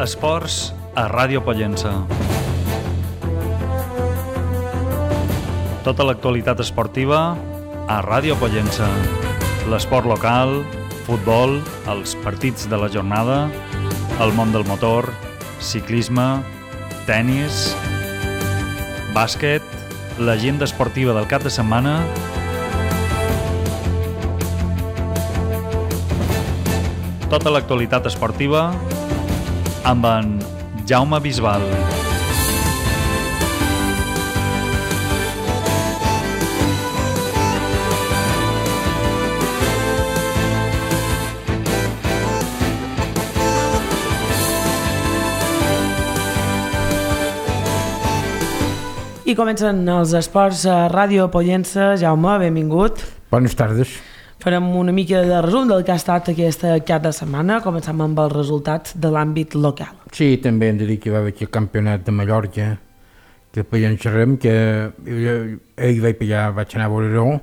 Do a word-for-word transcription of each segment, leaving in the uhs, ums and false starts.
Esports a Ràdio Pollença. Tota l'actualitat esportiva a Ràdio Pollença. L'esport local, futbol, els partits de la jornada, el món del motor, ciclisme, tennis, bàsquet, l'agenda esportiva del cap de setmana, tota l'actualitat esportiva amb en Jaume Bisbal. I comencen els esports a Ràdio Pollença. Jaume, benvingut. Bones tardes. Farem una mica de resum del que ha estat aquesta cap de setmana. Comencem amb els resultats de l'àmbit local. Sí, també hem de dir que va haver aquí el campionat de Mallorca, que per allà en xerrem, que ahir vaig, allà, vaig anar a veure-ho,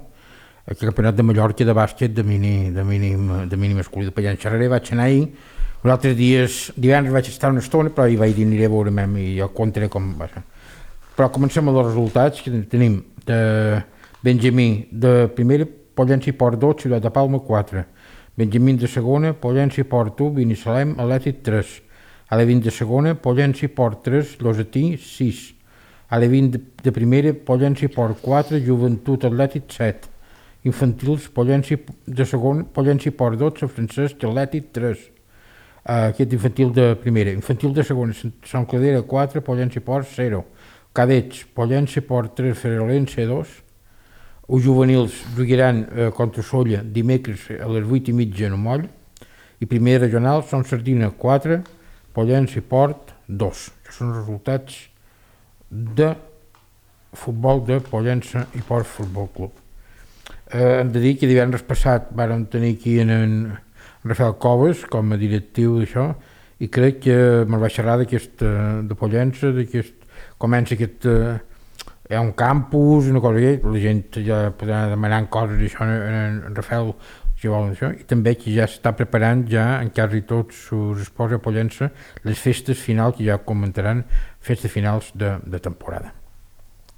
el campionat de Mallorca de bàsquet de mini, de mini, de mini masculí, per allà en xerraré, vaig anar ahir. Els altres dies, divendres vaig estar una estona, però ahir vaig dir aniré a veure-me'm i jo contaré com va ser. Però comencem amb els resultats, que tenim de Benjamí de primera, Pollença i Port dos, Ciutat de Palma quatre, Benjamí de segona, Pollença i Port u, Binissalem, Atlètic tres, Alevin de segona, Pollença i Port tres, Llosetí sis, Alevin de, de primera, Pollença i Port quatre, Joventut Atlètic set, Infantils, Pollença de segona, Pollença i Port dotze, Francesc Atlètic tres, uh, aquest infantil de primera, infantil de segona, Sant Cladera quatre, Pollença i Port zero, Cadets, Pollença i Port tres, Ferolença dos, els juvenils jugaran eh, contra Solla dimecres a les vuit i mitja en Moll, i primer regional són Sardina quatre, Pollença i Port dos. Això són els resultats de futbol de Pollença i Port Futbol Club. Eh, hem de dir que divendres passat vàrem tenir aquí en, en Rafael Coves com a directiu d'això, i crec que me'l va xerrar d'aquest de Pollença, d'aquest, comença aquest... Eh, hi ha un campus, una cosa que la gent ja podrà demanar coses d'això en, en Rafael, si volen això, i també que ja s'està preparant ja, en quasi tots els esports a Pollença, les festes finals, que ja comentaran, festes finals de, de temporada.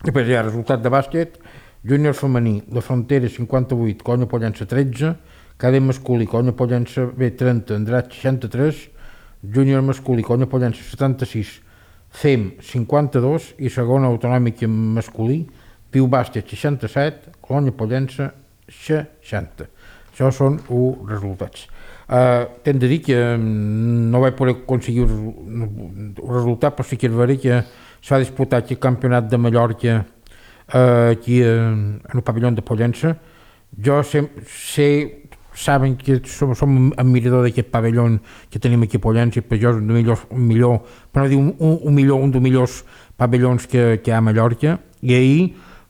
Després hi ha resultat de bàsquet, júnior femení, la Frontera cinquanta-vuit, Conya Pollença tretze, cadet masculí, Conya Pollença B trenta, Andrat seixanta-tres, júnior masculí, Conya Pollença setanta-sis, F E M cinquanta-dos i segona autonòmica masculí, Piu Bàsquet seixanta-set, Colònia Pollença seixanta. Això són els resultats. Uh, T'hem de dir que no vaig poder aconseguir el resultat, però sí que és vera que s'ha disputat el campionat de Mallorca uh, aquí en el pavelló de Pollença. Jo sé, sé saben que som, som admirador d'aquest pavelló que tenim aquí a Pollença, i per jo és un, millors, un millor, per no dir un, un, un millor, un dels millors pavellons que, que hi ha a Mallorca. I ahir,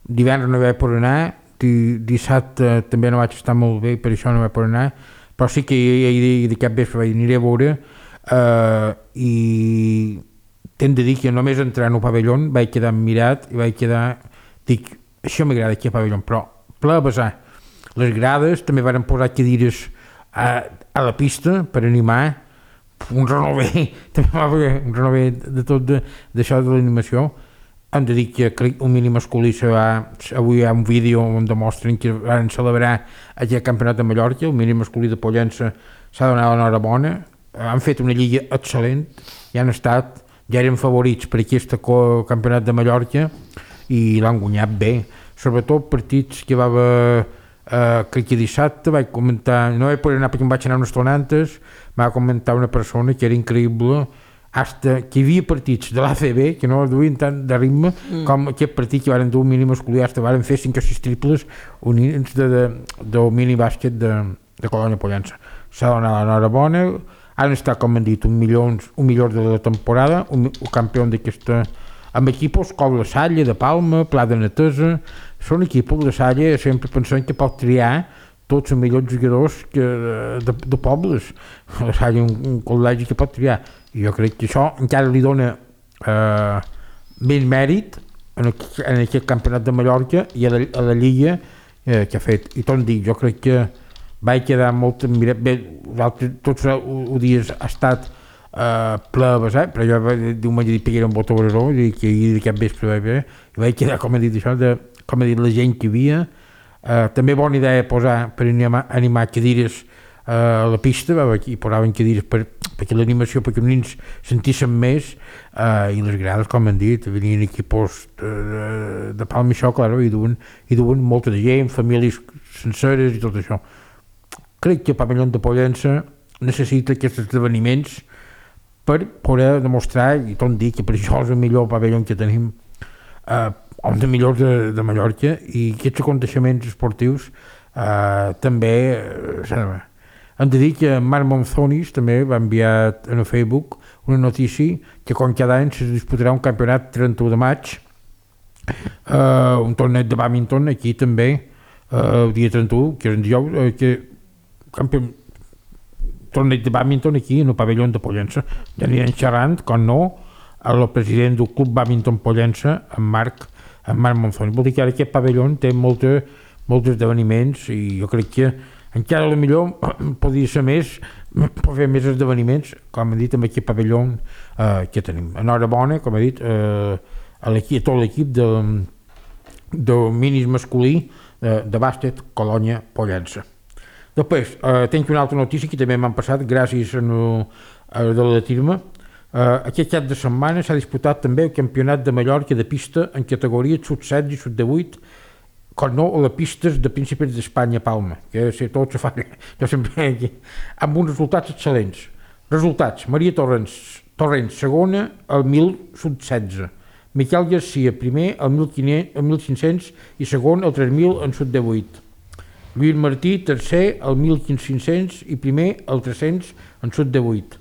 divendres no vaig poder anar, dissabte també no vaig estar molt bé, per això no vaig poder anar, però sí que ahir d'aquest vespre vaig aniré a veure, uh, i t'hem de dir que només entrar en el pavelló vaig quedar mirat i vaig quedar, dic, això m'agrada aquí a pavelló, però ple a besar. Les grades també varen posar cadires a, a la pista per animar, un renové, també va haver un renové de tot d'això de, de l'animació. Hem de dir que el mini masculí se va, avui hi ha un vídeo on demostren que van celebrar aquest campionat de Mallorca, el mini masculí de Pollença s'ha donat l'enhorabona, han fet una lliga excel·lent, i han estat, ja eren favorits per aquest campionat de Mallorca i l'han guanyat bé, sobretot partits que va haver. Uh, crec que dissabte vaig comentar, no vaig poder anar perquè em vaig anar unes estona antes, va comentar una persona que era increïble, hasta que hi havia partits de l'A C B que no duien tant de ritme mm. com aquest partit que varen dur un mini masculí, hasta varen fer cinc o sis triples units de, de, del mini bàsquet de, de Colònia Pollença. S'ha donat l'enhorabona, han estat, com hem dit, un millor, un millor de la temporada, un, un campió d'aquesta, amb equipos com la Salle de Palma, Pla de Netesa. Són equipos de Salle, sempre pensant que pot triar tots els millors jugadors que, de, de pobles. La Salle un, un col·legi que pot triar. I jo crec que això encara li dona eh, més mèrit en, el, en aquest campionat de Mallorca i a la, a la Lliga eh, que ha fet. I tot dic, jo crec que vaig quedar molt admirat. Bé, tots els dies ha estat uh, ple de vessar, però jo diumenge dic que era un botó obreró, i que ahir d'aquest vespre vaig veure, i vaig quedar, com he dit això, de, com he dit, la gent que hi havia. Uh, també bona idea posar per animar, animar cadires uh, a la pista, i posaven cadires per, perquè l'animació, perquè els nens sentissin més, uh, i les grades, com han dit, venien equipos de, de, de Palma i això, clar, i duen, i duen molta de gent, famílies senceres i tot això. Crec que el pavelló de Pollença necessita aquests esdeveniments per poder demostrar, i tot dir que per això és el millor pavelló que tenim, uh, un dels millors de, de Mallorca, i aquests aconteixements esportius uh, també uh, hem de dir que Marc Monzonis també va enviar en el Facebook una notícia que com cada any se disputarà un campionat trenta-u de maig, uh, un torneig de bàdminton aquí també uh, el dia trenta-u, que és en dijous, uh, que campion... torneig de bàdminton aquí en el pavelló de Pollença. Ja anirem xerrant, com no, el president del Club Bàdminton Pollença, en Marc en Marc Monzoni. Vol dir que ara aquest pavelló té molta, molts esdeveniments, i jo crec que encara a lo millor podria ser més, pot fer més esdeveniments, com he dit, amb aquest pavelló eh, que tenim. Enhorabona, com he dit, eh, a, a tot l'equip de, de minis masculí de, de bàsquet Colònia Pollença. Després, eh, tinc una altra notícia que també m'han passat gràcies a, no, a de la de Tirma. Uh, aquest cap de setmana s'ha disputat també el campionat de Mallorca de pista en categoria sub setze i sub divuit, com no, a les pistes de Principis d'Espanya a Palma, que sé, tot se fa, jo sempre aquí, amb uns resultats excel·lents. Resultats: Maria Torrents, Torrents segona al mil sub setze, Miquel Garcia primer al mil cinc-cents i segon al tres mil en sub divuit, Lluís Martí tercer al mil cinc-cents i primer al tres-cents en sub divuit,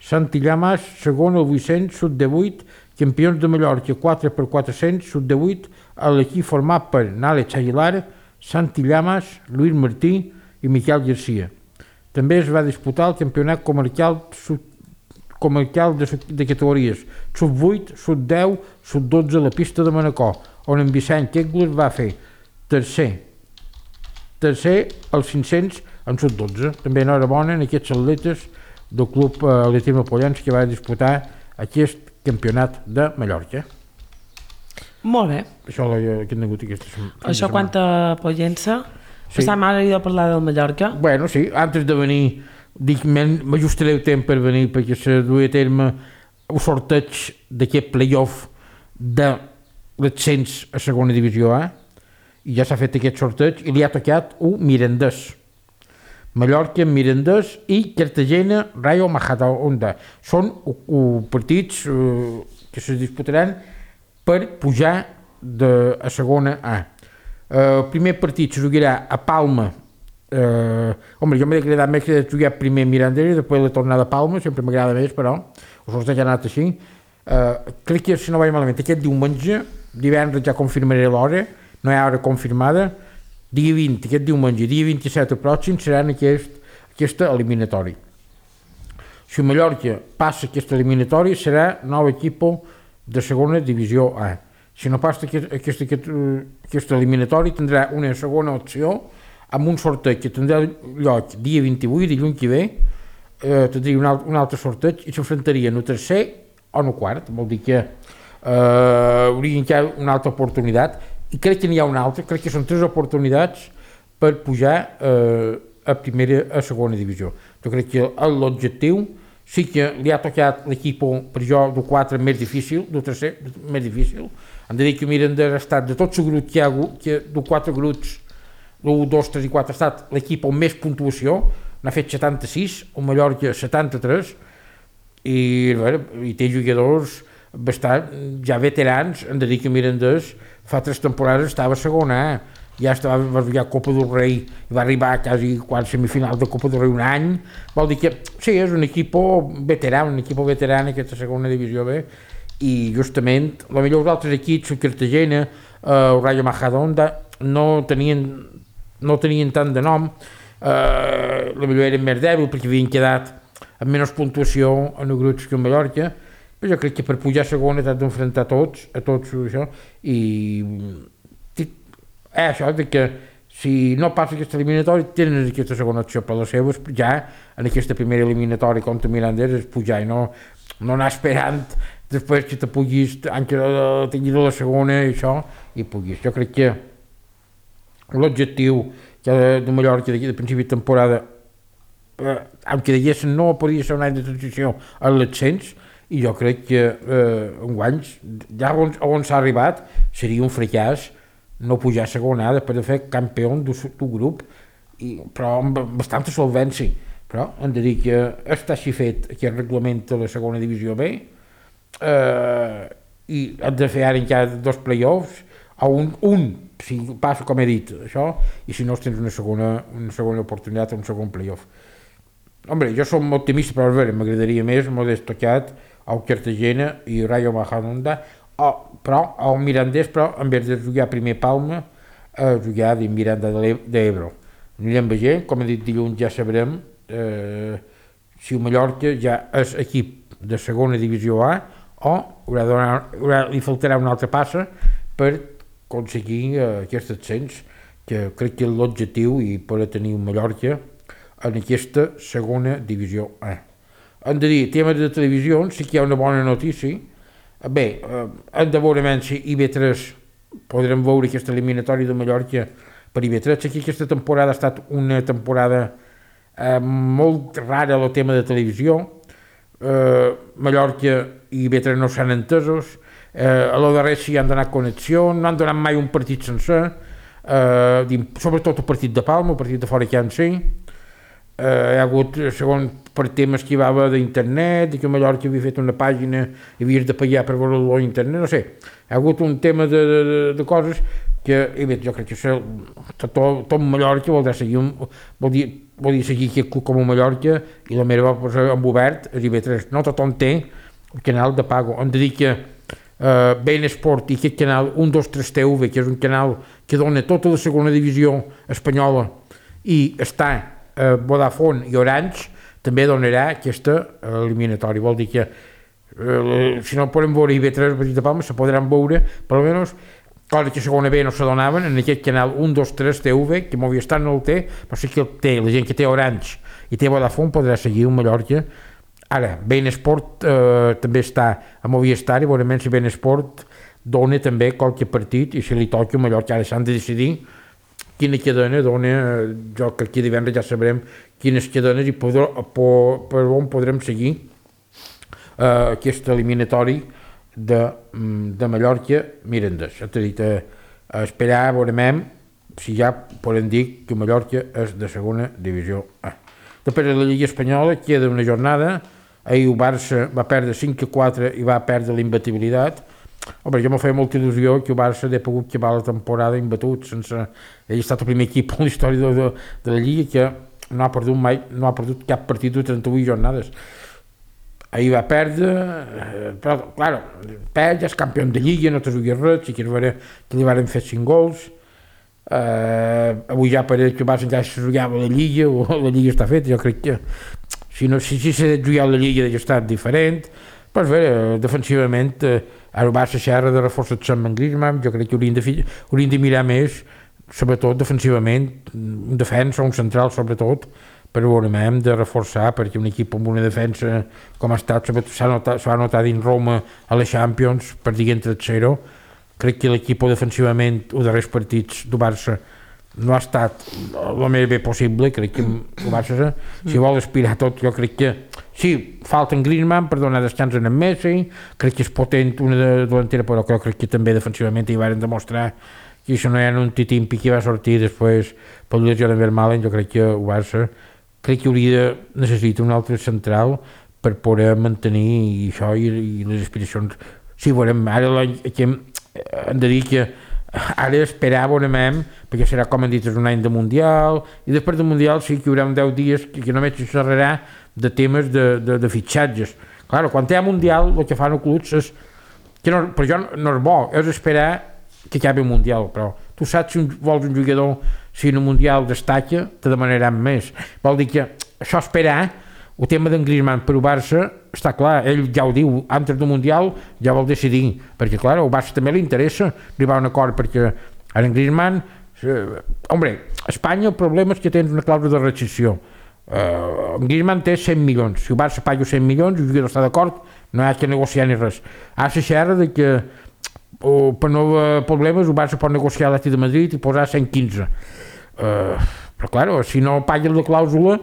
Santi Llamas, segon al vuit-cents, sub divuit, campions de Mallorca, quatre per quatre-cents, sub divuit, a l'equip format per Nàlex Aguilar, Santi Llamas, Lluís Martí i Miquel Garcia. També es va disputar el campionat comarcal, sub, comarcal de, de categories sub vuit, sub deu, sub dotze a la pista de Manacor, on en Vicent Kegler va fer tercer, tercer als cinc-cents en sub dotze. També enhorabona en aquests atletes del Club Atletisme Pollença que va disputar aquest campionat de Mallorca. Molt bé. Això que hem tingut aquesta, Això quant a Pollença. Sí. Passam ara a parlar del Mallorca. Bueno, sí, antes de venir, dic, m'ajustaré el temps per venir perquè se duia a terme el sorteig d'aquest playoff de l'ascens a segona divisió A, i ja s'ha fet aquest sorteig i li ha tocat un Mirandés. Mallorca, Mirandés i Cartagena, Rayo Majadahonda. Són uh, uh, partits uh, que se disputaran per pujar de, a segona A. Uh, el primer partit se jugarà a Palma. Uh, home, jo m'ha agradat més que jugar primer Mirandés i després la tornada a Palma, sempre m'agrada més, però el sorteig ha anat així. Uh, crec que, si no vaig malament, aquest diumenge, divendres ja confirmaré l'hora, no hi ha hora confirmada, dia vint, aquest diumenge, dia vint-i-set el pròxim, seran aquest, aquesta eliminatòria. Si Mallorca passa aquesta eliminatòria, serà nou equip de segona divisió A. Si no passa aquesta, aquesta, aquesta eliminatòria, tindrà una segona opció amb un sorteig que tindrà lloc dia vint-i-vuit, dilluns que ve, eh, tindria un, alt, un altre sorteig i s'enfrontaria en el tercer o en el quart. Vol dir que eh, hauria encara una altra oportunitat. I crec que n'hi ha una altra, crec que són tres oportunitats per pujar eh, a primera, a segona divisió. Jo crec que l'objectiu sí que li ha tocat l'equip per jo del quatre més difícil, del tercer més difícil. Hem de dir que Miranda ha estat de tots els grups que hi ha hagut, que de quatre grups, l'u, dos, tres i quatre, ha estat l'equip amb més puntuació, n'ha fet setanta-sis, el Mallorca setanta-tres, i, bueno, i té jugadors bastant ja veterans. Hem de dir que Mirandés fa tres temporades estava a segona A, ja estava, va jugar Copa del Rei i va arribar a quasi quart semifinal de Copa del Rei un any. Vol dir que sí, és un equip veterà, un equip veterà en aquesta segona divisió B, i justament la millor dels altres equips, el Cartagena, eh, el Rayo Majadahonda, no tenien, no tenien tant de nom, eh, la millor eren més dèbil perquè havien quedat amb menys puntuació en els grups que en Mallorca. Jo crec que per pujar a segona t'has d'enfrontar tots, a tots això, i eh, això de que si no passa aquesta eliminatòria, tenen aquesta segona opció, però les seves ja en aquesta primera eliminatòria contra Mirandés és pujar i no, no anar esperant després que te puguis, que tinguis la segona i això, i puguis. Jo crec que l'objectiu de Mallorca d'aquí de principi de temporada, eh, aunque diguessin no podia ser un any de transició a l'ascens, i jo crec que eh, en guanys, ja on, on s'ha arribat, seria un fracàs no pujar a segona A després de fer campió d'un grup, i, però amb bastanta solvència. Però hem de dir que està així fet aquest reglament de la segona divisió B, eh, i hem de fer ara encara dos play-offs, o un, un, si passa com he dit, això, i si no tens una segona, una segona oportunitat, un segon play-off. Hombre, jo som optimista, però a veure, m'agradaria més, Modest Tocat, el Cartagena i Rayo Majadahonda, Oh, però el Mirandés, però en vez de jugar primer Palma, a jugar de Miranda d'Ebro. Anirem veient, com he dit dilluns ja sabrem eh, si el Mallorca ja és equip de segona divisió A o haurà donar, haurà, li faltarà una altra passa per aconseguir eh, aquest ascens, que crec que és l'objectiu i poder tenir un Mallorca en aquesta segona divisió A. Hem de dir, tema de televisió, sí que hi ha una bona notícia. Bé, eh, hem de veure si I B tres podrem veure aquesta eliminatòria de Mallorca per I B tres. Aquí aquesta temporada ha estat una temporada eh, molt rara el tema de televisió. Eh, Mallorca i I B tres no s'han entesos. Eh, a lo darrer sí han donat connexió, no han donat mai un partit sencer, eh, sobretot el partit de Palma, el partit de fora que han sí. Eh, hi ha hagut, segons per temes que hi va d'internet, i que Mallorca havia fet una pàgina i havies de pagar per veure-lo a internet, no sé, hi ha hagut un tema de, de, de coses que, i bé, jo crec que això, tot, tot Mallorca voldrà seguir, un, vol, dir, vol dir seguir aquest club com a Mallorca, i la meva va posar en obert a I B tres, no tothom té el canal de pago, hem de dir que eh, Ben Sport i aquest canal un dos tres T V, que és un canal que dona tota la segona divisió espanyola i està eh, Vodafone i Orange, també donarà aquesta eliminatòria. Vol dir que eh, si no podem veure I B tres de Palma, se podran veure, per almenys, coses que a segona B no se donaven, en aquest canal un dos tres T V, que Movistar no el té, però sí que el té, la gent que té Orange i té Vodafone podrà seguir un Mallorca. Ara, Ben Sport eh, també està a Movistar, i veurem si Ben Sport dona també qualque partit, i si li toca a Mallorca, ara s'han de decidir quina cadena dona, jo que aquí divendres ja sabrem quines cadenes i podrà, per, per on podrem seguir eh, aquest eliminatori de, de Mallorca-Mirandés. Ja t'he dit, eh, a esperar, veurem si ja podem dir que Mallorca és de segona divisió A. Després de la Lliga Espanyola queda una jornada, ahir el Barça va perdre cinc a quatre i va perdre la imbatibilitat. Home, jo m'ho feia molta il·lusió que el Barça hagi pogut acabar la temporada imbatut, sense... Ell ha estat el primer equip en la història de, de, de la Lliga que no ha perdut mai, no ha perdut cap partit de trenta-vuit jornades. Ahir va perdre, però, clar, perd, ja és campió de Lliga, no te juguis res, sí que veure que li van fer cinc gols. Eh, avui ja pareix que el Barça encara se jugava la Lliga, o la Lliga està feta, jo crec que si no si, si s'ha de jugar la Lliga ja està diferent. Però bé, defensivament, eh, ara el Barça xerra de reforçar amb Griezmann, jo crec que haurien de, haurien de mirar més, sobretot defensivament, un defensa, un central sobretot, però veurem de reforçar, perquè un equip amb una defensa com ha estat, s'ha notat, s'ha notat dins Roma a la Champions, per dir entre zero, crec que l'equip defensivament, els darrers partits del Barça, no ha estat el més bé possible. Crec que el Barça, si vol aspirar tot, jo crec que sí, falta en Griezmann per donar descans en Messi, crec que és potent una delantera, però crec que també defensivament hi van demostrar que això no hi ha un titimpi que va sortir després per la lesió de Vermaelen. Jo crec que el Barça crec que hauria de necessitar un altre central per poder mantenir això i, i les aspiracions. Sí, veurem, ara aquí hem de dir que ara esperar veurem, perquè serà, com han dit, un any de Mundial, i després del Mundial sí que hi haurà deu dies que, que només se xerrarà de temes de, de, de fitxatges. Clar, quan hi ha Mundial, el que fan els clubs és, que no, per jo no és bo, és esperar que acabi el Mundial, però tu saps si un, vols un jugador, si en el Mundial destaca, te demanaran més. Vol dir que això esperar, el tema d'en Griezmann per el Barça, està clar, ell ja ho diu, antes del Mundial ja vol decidir, perquè clar, al Barça també li interessa arribar a un acord, perquè ara en Griezmann Hombre, a Espanya el problema és que tens una clàusula de rescissió. Uh, Griezmann té cent milions. Si el Barça paga cent milions, el jugador està d'acord, no hi ha que negociar ni res. Ara se xerra de que uh, per no haver problemes el Barça pot negociar a l'Atlètic de Madrid i posar cent quinze. Uh, però clar, si no pagues la clàusula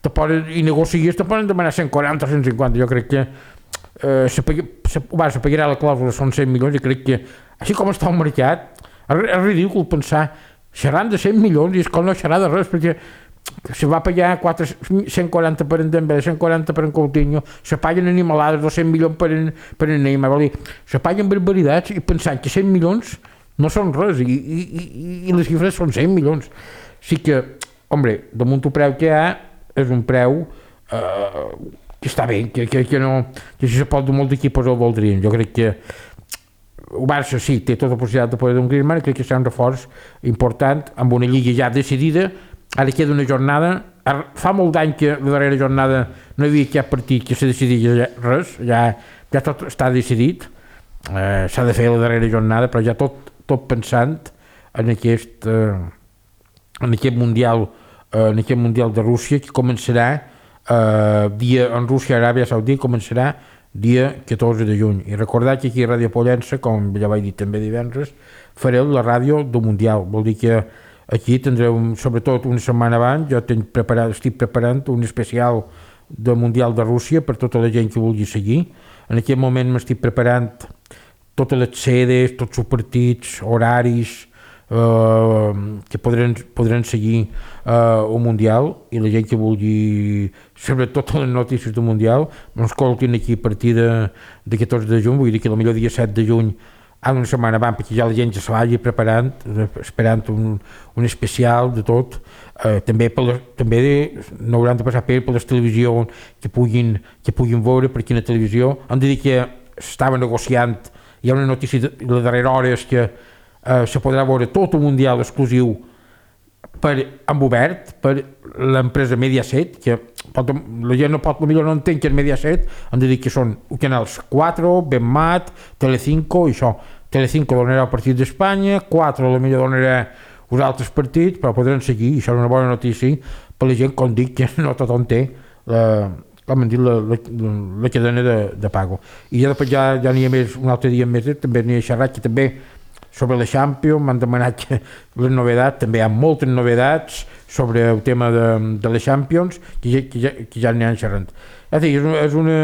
te poden, i negocies te poden demanar cent quaranta o cent cinquanta. Jo crec que uh, se pagui, se, el Barça pagarà la clàusula, són cent milions, i crec que així com està el mercat és, és ridícul pensar xerrant de cent milions i és com no xerrar de res, perquè se va pagar quatre, cent quaranta per en Dembélé, cent quaranta per en Coutinho, se paguen animalades, dos cents milions per en, per en Neymar, vol dir, se paguen barbaritats i pensant que cent milions no són res i, i, i, i les xifres són cent milions. Sí que, hombre, damunt el preu que hi ha és un preu eh, que està bé, que, que, que, no, que si se pot dur molt d'equipos el voldrien. Jo crec que el Barça sí, té tota la possibilitat de poder d'un Griezmann, crec que serà un reforç important amb una lliga ja decidida. Ara queda una jornada, fa molt d'any que la darrera jornada no hi havia cap partit que se decidia res, ja, ja tot està decidit, eh, s'ha de fer la darrera jornada, però ja tot, tot pensant en aquest, eh, en aquest mundial, eh, en aquest mundial de Rússia, que començarà eh, dia en Rússia, Aràbia Saudita, començarà dia catorze de juny. I recordar que aquí a Ràdio Pollença, com ja vaig dir també divendres, fareu la ràdio del mundial, vol dir que aquí tindreu, sobretot una setmana abans, jo tinc preparat, estic preparant un especial del Mundial de Rússia per tota la gent que vulgui seguir. En aquest moment m'estic preparant totes les sedes, tots els partits, horaris eh, que podran, podran seguir eh, el Mundial, i la gent que vulgui saber totes les notícies del Mundial m'escoltin aquí a partir de, de catorze de juny, vull dir que potser dia set de juny ara una setmana abans, perquè ja la gent ja se vagi preparant, esperant un, un especial de tot. Eh, també per les, també no hauran de passar per, per les televisions que puguin, que puguin veure per quina televisió. Han de dir que s'estava negociant, hi ha una notícia de la darrera hora és que eh, se podrà veure tot el Mundial exclusiu per, amb obert per l'empresa Mediaset, que pot, la gent no pot, potser no entén que és Mediaset, han de dir que són canals quatre, Benmat, Telecinco i això. Telecinco donarà el partit d'Espanya, quatre potser donarà els altres partits, però podran seguir, i això és una bona notícia per la gent, com dic, que no tothom té la, com hem dit, la, la, la cadena de, de pago. I ja després ja, ja n'hi ha més, un altre dia més, també n'hi ha xerrat, que també sobre la Champions m'han demanat que les novetats, també hi ha moltes novetats sobre el tema de, de la Champions, que ja, que ja, que ja n'hi han xerrat. És a dir, és una, és una,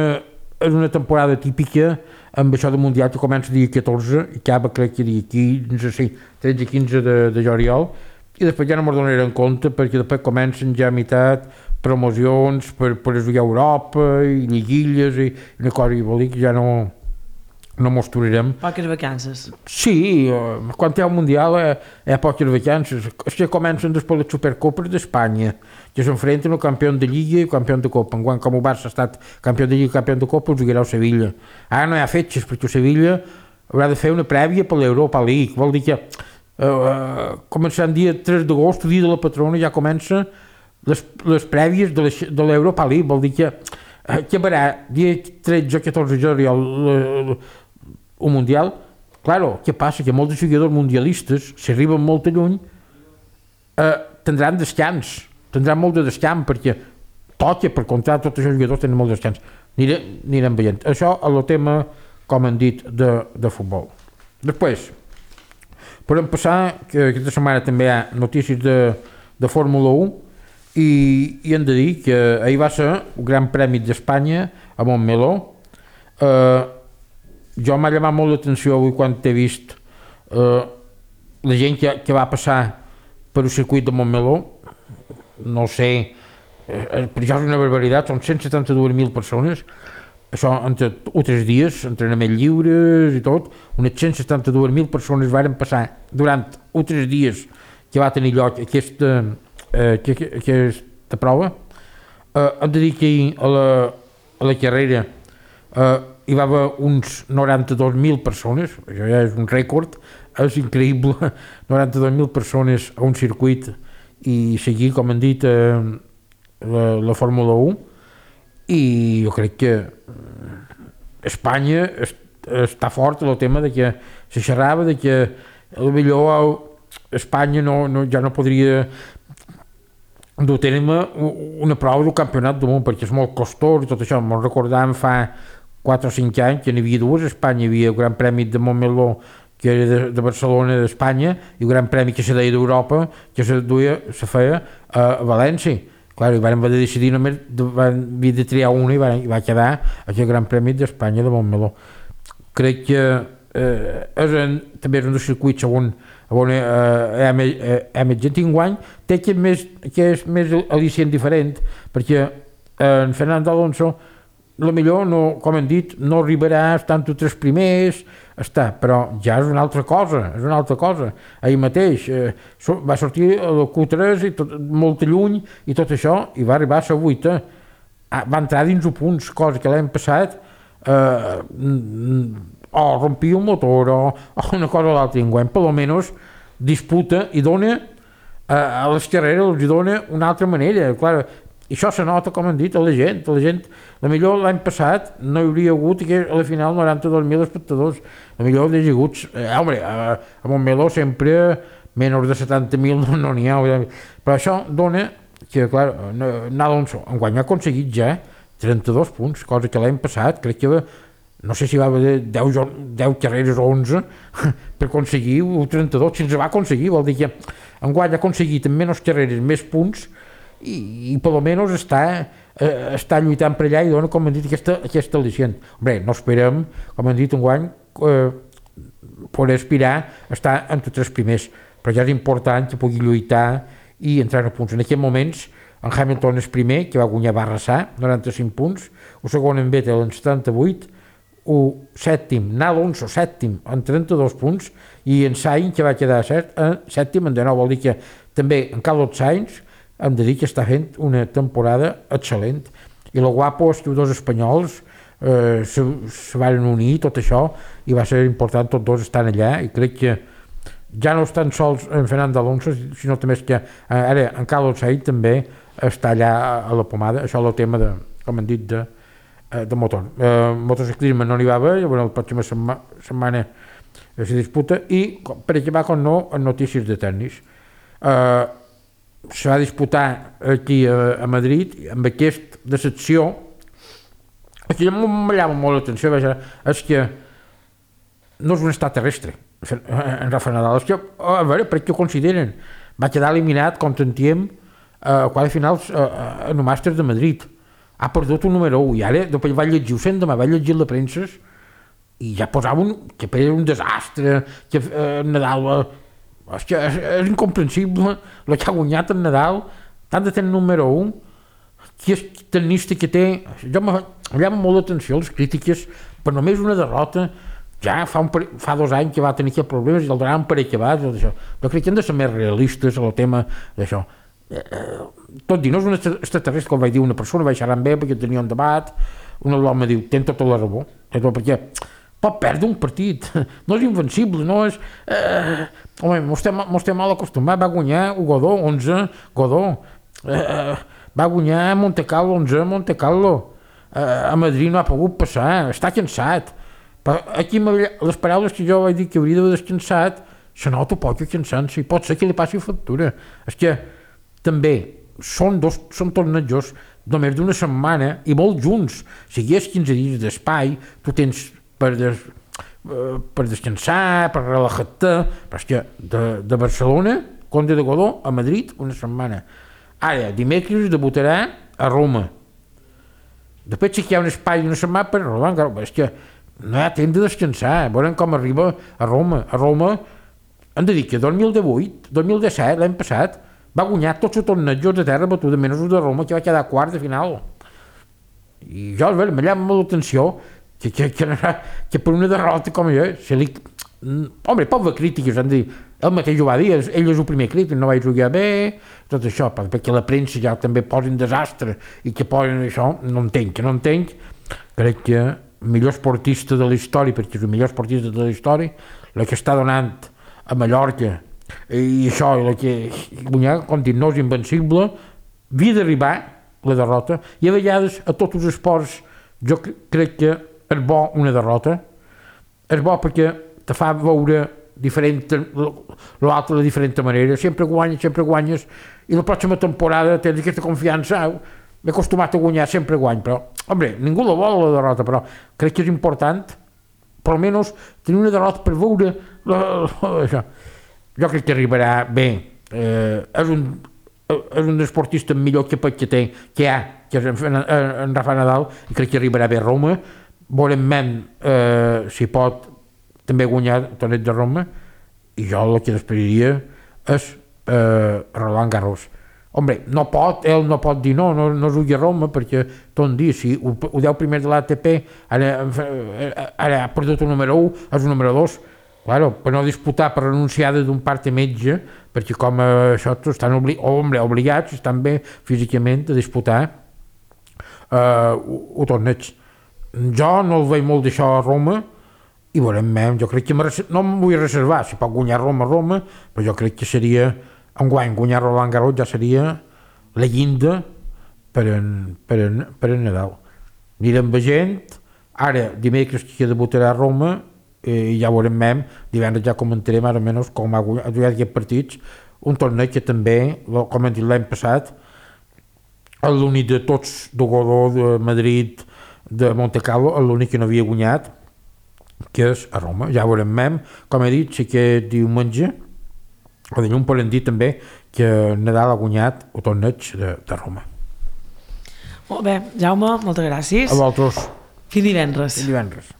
és una temporada típica amb això del Mundial, que comença dia catorze i acaba crec que dia quinze, sí, tretze quinze de, de juliol, i després ja no me'n donaré en compte perquè després comencen ja a meitat promocions per, per jugar a Europa i lliguilles i una cosa, i vol dir que ja no no mostrarem. Poques vacances. Sí, quan hi ha un Mundial hi ha, hi ha poques vacances. És que comencen després les Supercopes d'Espanya, que s'enfrenten el campió de Lliga i el campió de Copa. Enguany, com el Barça ha estat campió de Lliga i campió de Copa, els jugarà el Sevilla. Ara no hi ha fetges, perquè el Sevilla haurà de fer una prèvia per l'Europa League. Vol dir que eh, començant dia tres d'agost, dia de la patrona, ja comença les, les prèvies de l'Europa League. Vol dir que eh, que verà dia tretze o catorze de juliol el Mundial. Claro, què passa? Que molts jugadors mundialistes, si arriben molt lluny, eh, tindran descans, tindran molt de descans, perquè toca per comptar tots els jugadors tenen molt de descans. Anirem, anirem veient. Això és el tema, com han dit, de, de futbol. Després, podem passar, que aquesta setmana també hi ha notícies de, de Fórmula u, i, i hem de dir que ahir va ser el Gran Premi d'Espanya a Montmeló. Eh, jo m'ha llamat molt l'atenció avui quan t'he vist eh, la gent que, que va passar per el circuit de Montmeló. No sé, eh, per això és una barbaritat, són cent setanta-dos mil persones, això entre tres dies, entrenaments lliures i tot, unes cent setanta-dos mil persones varen passar durant tres dies que va tenir lloc aquesta, eh, aquesta prova. Eh, hem de dir que a la, a la carrera eh, hi va haver uns noranta-dos mil persones, això ja és un rècord, és increïble, noranta-dos mil persones a un circuit i seguir, com han dit, eh, la, la Fórmula u, i jo crec que Espanya est, està fort en el tema de que se xerrava de que potser Espanya no, no, ja no podria dur a terme una prova del campionat del món, perquè és molt costós i tot això. Me'n recordàvem fa quatre o cinc anys que n'hi havia dues. A Espanya hi havia el Gran Premi de Montmeló, que era de, de Barcelona, d'Espanya, i el Gran Premi que se deia d'Europa, que se, duia, se feia a, a València. Clar, i vam haver de decidir, només van haver de triar una i va, i va quedar aquest Gran Premi d'Espanya de Montmeló. Crec que eh, és en, també és un dels circuits on on eh, hem gent enguany té que, més, que és més al·licient diferent, perquè eh, en Fernando Alonso la millor, no, com hem dit, no arribarà a estar entre tres primers, està, però ja és una altra cosa, és una altra cosa. Ahir mateix eh, so, va sortir el Q tres i tot, molt lluny i tot això, i va arribar a la vuita. Ah, va entrar dins els punts, cosa que l'any passat eh, o rompia un motor o, o una cosa o l'altra. Enguany, per almenys, disputa i dona eh, a les carreres, els dona una altra manera. Clar, i això se nota, com han dit, a la gent. A la gent, la millor l'any passat no hi hauria hagut que a la final noranta-dos mil espectadors. La millor hi ha hagut, eh, home, a, a Montmeló sempre menys de setanta mil no n'hi no ha. Però això dona que, clar, Alonso enguany ha aconseguit ja trenta-dos punts, cosa que l'any passat crec que no sé si va haver deu, deu carreres o onze per aconseguir el trenta-dos, si ens va aconseguir, vol dir que enguany ha aconseguit en menys carreres més punts i, i per almenys està, eh, està lluitant per allà i dona, com hem dit, aquesta, aquesta al·licient. Bé, no esperem, com hem dit enguany, eh, poder aspirar a estar entre tres primers, però ja és important que pugui lluitar i entrar a punts. En aquests moments, en Hamilton és primer, que va guanyar, va arrasar, noranta-cinc punts, el segon en Vettel en setanta-vuit, el sèptim, Alonso sèptim en trenta-dos punts, i en Sainz, que va quedar set, en sèptim en dinou, vol dir que també en Carlos Sainz hem de dir que està fent una temporada excel·lent, i el guapo és que els dos espanyols eh, se, se van unir, tot això, i va ser important, tots dos estan allà, i crec que ja no estan sols en Fernando Alonso, sinó també és que eh, ara en Carlos Sainz també està allà a la pomada. Això és el tema de, com han dit, de de motor. Eh, motociclisme no n'hi va haver, llavors la pròxima setma, setmana se disputa, i per acabar com no, en notícies de tennis. Eh, se va disputar aquí a, a Madrid, amb aquesta decepció, que ja m'allava molt l'atenció, és que no és un estat terrestre, en Rafa Nadal. És que, a veure, per què ho consideren? Va quedar eliminat, com sentíem, a quart de finals en el Màster de Madrid. Ha perdut un número u, i ara després va llegir, ho sent demà, va llegir la premsa i ja posava un, que era un desastre, que eh, Nadal, eh, és, que és, és incomprensible el que ha guanyat en Nadal, tant de tenir número un, que és tenista que té, jo me llama molt l'atenció les crítiques, per només una derrota, ja fa, un, fa dos anys que va tenir aquests problemes i el donaven per acabat, jo crec que hem de ser més realistes en el tema d'això. Eh, tot dir, no és un extraterrestre, com vaig dir una persona, vaig xerrar amb ell perquè tenia un debat, un home diu, ten tota la raó, perquè pot perdre un partit, no és invencible, no és... Eh, home, mos té mal acostumat, va guanyar el Godó, onze, Godó, eh, va guanyar Monte Carlo, onze, Monte Carlo, eh, a Madrid no ha pogut passar, està cansat, però aquí les paraules que jo vaig dir que hauria d'haver descansat, se nota poc cansant-se, i pot ser que li passi factura, és que també són dos, són tornejos només d'una setmana i molt junts. Si hi ha quinze dies d'espai, tu tens per, des, eh, per descansar, per relajar-te, però és que de, de Barcelona, Conde de Godó, a Madrid, una setmana. Ara, dimecres debutarà a Roma. Després sí que hi ha un espai d'una setmana per Roma, és que no hi ha temps de descansar, veurem com arriba a Roma. A Roma, hem de dir que dos mil divuit, dos mil disset, l'any passat, va guanyar tots els tornejos de terra batuda, menys el de Roma, que va quedar quart de final. I jo, me llama molt l'atenció que, que, que, que per una derrota com jo, se li... Home, pot haver crítiques, han de dir, ell mateix ho va dir, ell és el primer crític, no vaig jugar bé, tot això, perquè la premsa ja també posa un desastre i que posen això, no entenc, que no entenc. Crec que el millor esportista de la història, perquè és el millor esportista de la història, el que està donant a Mallorca, i això, el que guanyar, com dic, no és invencible, havia d'arribar la derrota, i a vegades a tots els esports jo crec que és bo una derrota, és bo perquè te fa veure diferent, l'altre de diferent manera, sempre guanyes, sempre guanyes, i la pròxima temporada tens aquesta confiança, m'he acostumat a guanyar, sempre guany, però, home, ningú la vol la derrota, però crec que és important, per almenys, tenir una derrota per veure la, la, això. Jo crec que arribarà bé, eh, és un és un esportista millor que pot que té, que hi ha, que és en, en Rafa Nadal, i crec que arribarà bé a Roma, veurem eh, si pot també guanyar el torneig de Roma, i jo el que esperaria és eh, Roland Garros. Hombre, no pot, ell no pot dir no, no, no jugui a Roma, perquè tot dia, si ho, ho deu primer de l'A T P, ara, ara ha perdut el número u, és el número dos, claro, per no disputar per renunciada d'un part de metge, perquè com eh, això estan obli hombre, obligats, estan bé físicament a disputar eh, el torneig. Jo no el veig molt d'això a Roma, i veurem, jo crec que no em vull reservar, si pot guanyar Roma, Roma, però jo crec que seria, enguany, guanyar Roland Garros ja seria la llinda per en, per en, per en Nadal. Anirem veient, ara dimecres que debutarà a Roma, i ja veurem mem, divendres ja comentarem ara menys com ha jugat aquests partits, un torneig que també, com hem dit l'any passat, l'únic de tots de Godó, de Madrid, de Montecarlo, l'únic que no havia guanyat, que és a Roma. Ja veurem mem, com he dit, sí que diumenge, o dilluns podem dir també que Nadal ha guanyat el torneig de, de Roma. Molt bé, Jaume, moltes gràcies. A vosaltres. Fins divendres. Fins divendres.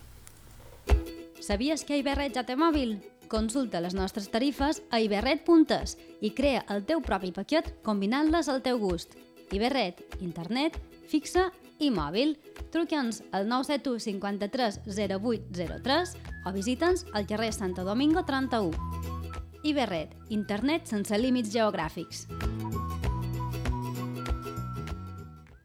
Sabies que Iberret ja té mòbil? Consulta les nostres tarifes a iberret punt es i crea el teu propi paquet combinant-les al teu gust. Iberret, internet, fixa i mòbil. Truca'ns al nou set u cinquanta-tres zero vuit zero tres o visita'ns al carrer Santo Domingo trenta-u. Iberret, internet sense límits geogràfics.